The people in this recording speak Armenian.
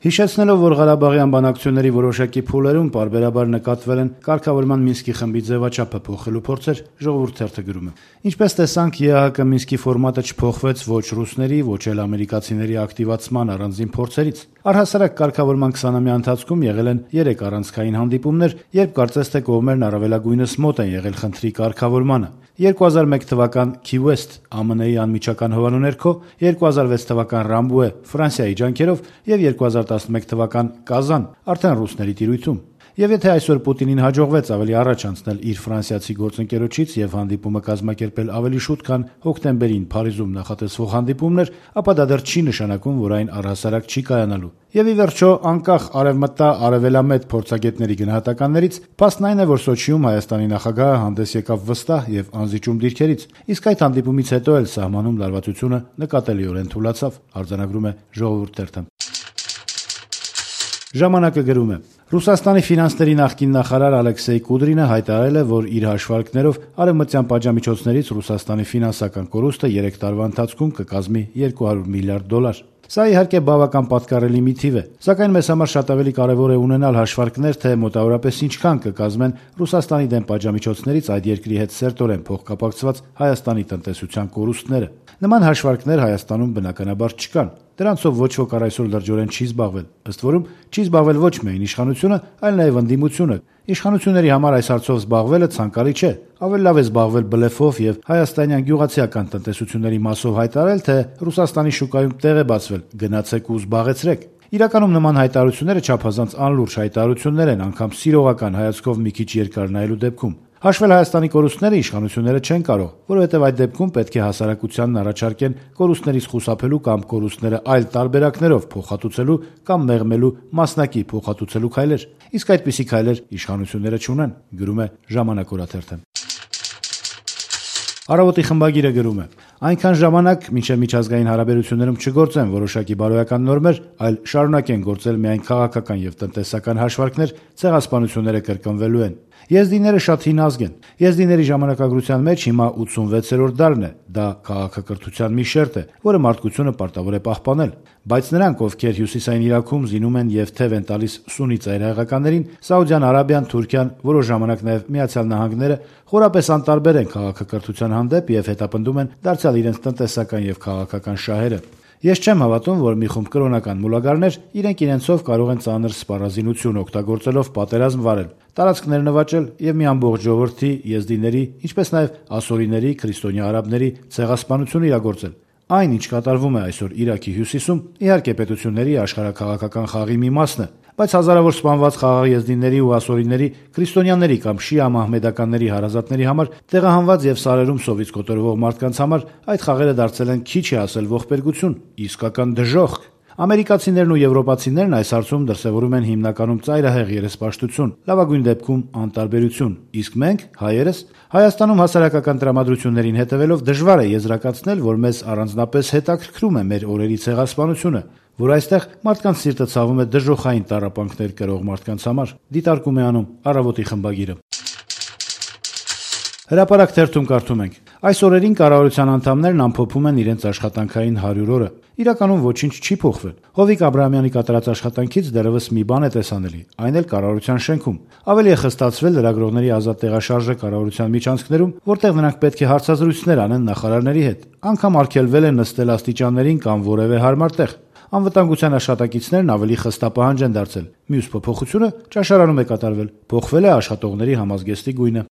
Հիշեցնելով, որ Ղարաբաղյան բանակցությունների որոշակի փուլերում պարբերաբար նկատվել են կարգավորման Մինսկի խմբի ձևաչափը փոխելու փորձեր, Ժողովուրդ թերթը գրում է. Ինչպես տեսանք, ԵԱՀԿ Մինսկի ֆորմատը չփոխվեց ոչ ռուսների, ոչ էլ ամերիկացիների ակտիվացման առանձին փորձերից։ Առհասարակ կարգավորման 20-ամյա ընթացքում եղել են 3 առանցքային հանդիպումներ, երբ կարծես թե կողմերն առավելագույնս մոտ են եղել խնդրի կարգավորմանը։ 2001 թվական Key West ԱՄՆ-ի անմիջական հովանու ներքո, 2006 թվական Ռամբուե Ֆրանսիայի ջանքերով եւ 2011 թվական Կազան արդեն ռուսների տիրույթում։ Եվ եթե այսօր Պուտինին հաջողվեց ավելի առաջ անցնել իր ֆրանսիացի գործընկերոջից եւ հանդիպումը կազմակերպել ավելի շուտ, քան հոկտեմբերին Փարիզում նախատեսվող հանդիպումն էր, ապա դա դեռ չի նշանակում, որ այն առհասարակ չի կայանալու։ Եվ ի վերջո, անկախ արևմտա-արևելամետ փորձագետների գնահատականներից, փաստն այն է, որ Սոչիում Հայաստանի նախագահը հանդես եկավ վստահ եւ անզիջում դիրքերից, իսկ այդ հանդիպումից հետո էլ սահմանում լարվածությունը նկատելիորեն թուլացավ, արձանագրում է Ժողովուրդ թերթը։ Ժամանակը գրում է. Ռուսաստանի ֆինանսների նախկին նախարար Ալեքսեյ Կուդրինը հայտարարել է, որ իր հաշվարկներով արևմտյան պատժամիջոցներից Ռուսաստանի ֆինանսական կորուստը 3 տարվա ընթացքում կկազմի $200 միլիարդ։ Սա իհարկե բավական պատկառելի մի թիվ է, սակայն մեզ համար շատ ավելի կարևոր է ունենալ հաշվարկներ, թե մոտավորապես ինչքան կկազմեն Ռուսաստանի դեմ պատժամիջոցներից այդ երկրի հետ սերտորեն փոխկապակցված Հայաստանի տնտեսության կորուստները։ Նման հաշվարկներ Հայաստանում բնականաբար չկան։ Դրանցով ոչ ոք առ այսօր լրջորեն չի զբաղվել։ Ըստ որում չի զբաղվել ոչ միայն իշխանությունը, այլ նաև ընդդիմությունը։ Իշխանությունների համար այս հարցով զբաղվելը ցանկալի չէ։ Ավելի լավ է զբաղվել բլեֆով եւ հայաստանյան գյուղացիական տնտեսությունների մասով հայտարարել, թե Ռուսաստանի շուկայում տեղ է բացվել, գնացեք ու զբաղեցրեք։ Իրականում նման հայտարարությունները չափազանց անլուրջ հայտարարություններ են, անգամ սիրողական հայացքով մի քիչ երկար նայելու դեպքում։ Հաշվել Հայաստանի կորուստները իշխանությունները չեն կարող, որովհետև այդ դեպքում պետք է հասարակությանն առաջարկեն կորուստներից խուսափելու կամ կորուստները այլ տարբերակներով փոխհատուցելու կամ մեղմելու մասնակի փոխհատուցելու քայլեր։ Իսկ այդպիսի քայլեր իշխանությունները չունեն, գրում է Ժամանակ օրաթերթը։ Առավոտի խմբագիրը գրում է. այնքան ժամանակ, մինչև միջազգային հարաբերություններում չգործեն որոշակի բարոյական նորմեր, այլ շարունակեն գործել միայն քաղաքական եւ տնտեսական հաշվարկներ, ցեղասպանությունները կրկնվելու են։ Եզդիները շատ հին ազգ են։ Եզդիների ժամանակագրության մեջ հիմա 86-րդ դարն է։ Դա քաղաքակրթության մի շերտ է, որը մարդկությունը պարտավոր է պահպանել։ Բայց նրանք, ովքեր հյուսիսային Իրաքում զինում են եւ թև են տալիս սուննի ծայրահեղականներին, Սաուդյան Արաբիան, Թուրքիան, որոշ ժամանակ նաեւ Միացյալ Նահանգները խորապես անտարբեր են քաղաքակրթության հանդեպ եւ հետապնդում են դարձյալ իրենց տնտեսական եւ քաղաքական շահերը։ Ես չեմ հավատում, որ մի խումբ կրոնական մուլագարներ իրենք իրենցով կարող են ծանր սպառազինություն օգտագործելով պատերազմ վարել, տարածքներ նվաճել եւ մի ամբողջ ժողովրդի, եզդիների, ինչպես նաեւ ասորիների, քրիստոնյա արաբների ցեղասպանություն իրագործել։ Այն, ինչ կատարվում է այսօր Իրաքի հյուսիսում, իհարկե պետությունների աշխարհաքաղաքական խաղի մի մասն է, բայց հազարավոր սպանված խաղաղ եզդիների ու ասորիների, քրիստոնյաների կամ շիա մահմեդականների հարազատների համար տեղահանված եւ սարերում սովից կոտորվող մարդկանց համար այդ խաղերը դարձել են քիչ է ասել ողբերգություն, իսկական դժոխք։ Ամերիկացիներն ու եվրոպացիներն այս հարցում դրսևորում են հիմնականում ծայրահեղ երեսպաշտություն, լավագույն դեպքում անտարբերություն, իսկ մենք, հայերս, Հայաստանում հասարակական տրամադրություններին հետևելով դժվար է եզրակացնել, որ մեզ առանձնապես հետաքրքրում է մեր օրերի ցեղասպանությունը, որ այստեղ մարդկանց սիրտը ցավում է դժոխային տառապանքներ կրող մարդկանց համար, դիտարկում է անում Առավոտի խմբագիրը։ Հրապարակ թերթում կարդում ենք. այս օրերին կառավարության անդամներն ամփոփում են իրենց աշխատանքային 100 օրը։ Իրականում ոչինչ չի փոխվել։ Հովիկ Աբրահամյանի կատարած աշխատանքից դեռևս մի բան է տեսանելի, այն էլ կառավարության շենքում։ Ավելի է խստացվել լրագրողների ազատ տեղաշարժը կառավարության միջանցքներում, որտեղ նրանք պետք է հարցազրույցներ անեն նախարարների հետ։ Անգամ արգելվել է նստել աստիճաններին կամ որևէ հարմար տեղ։ Անվտանգության աշխատակիցներն ավելի խստապահանջ են դարձել։ Մյուս փոփոխությունը ճաշարանում է կատարվել։ Փոխվել է աշխատողների համազգեստի գույնը։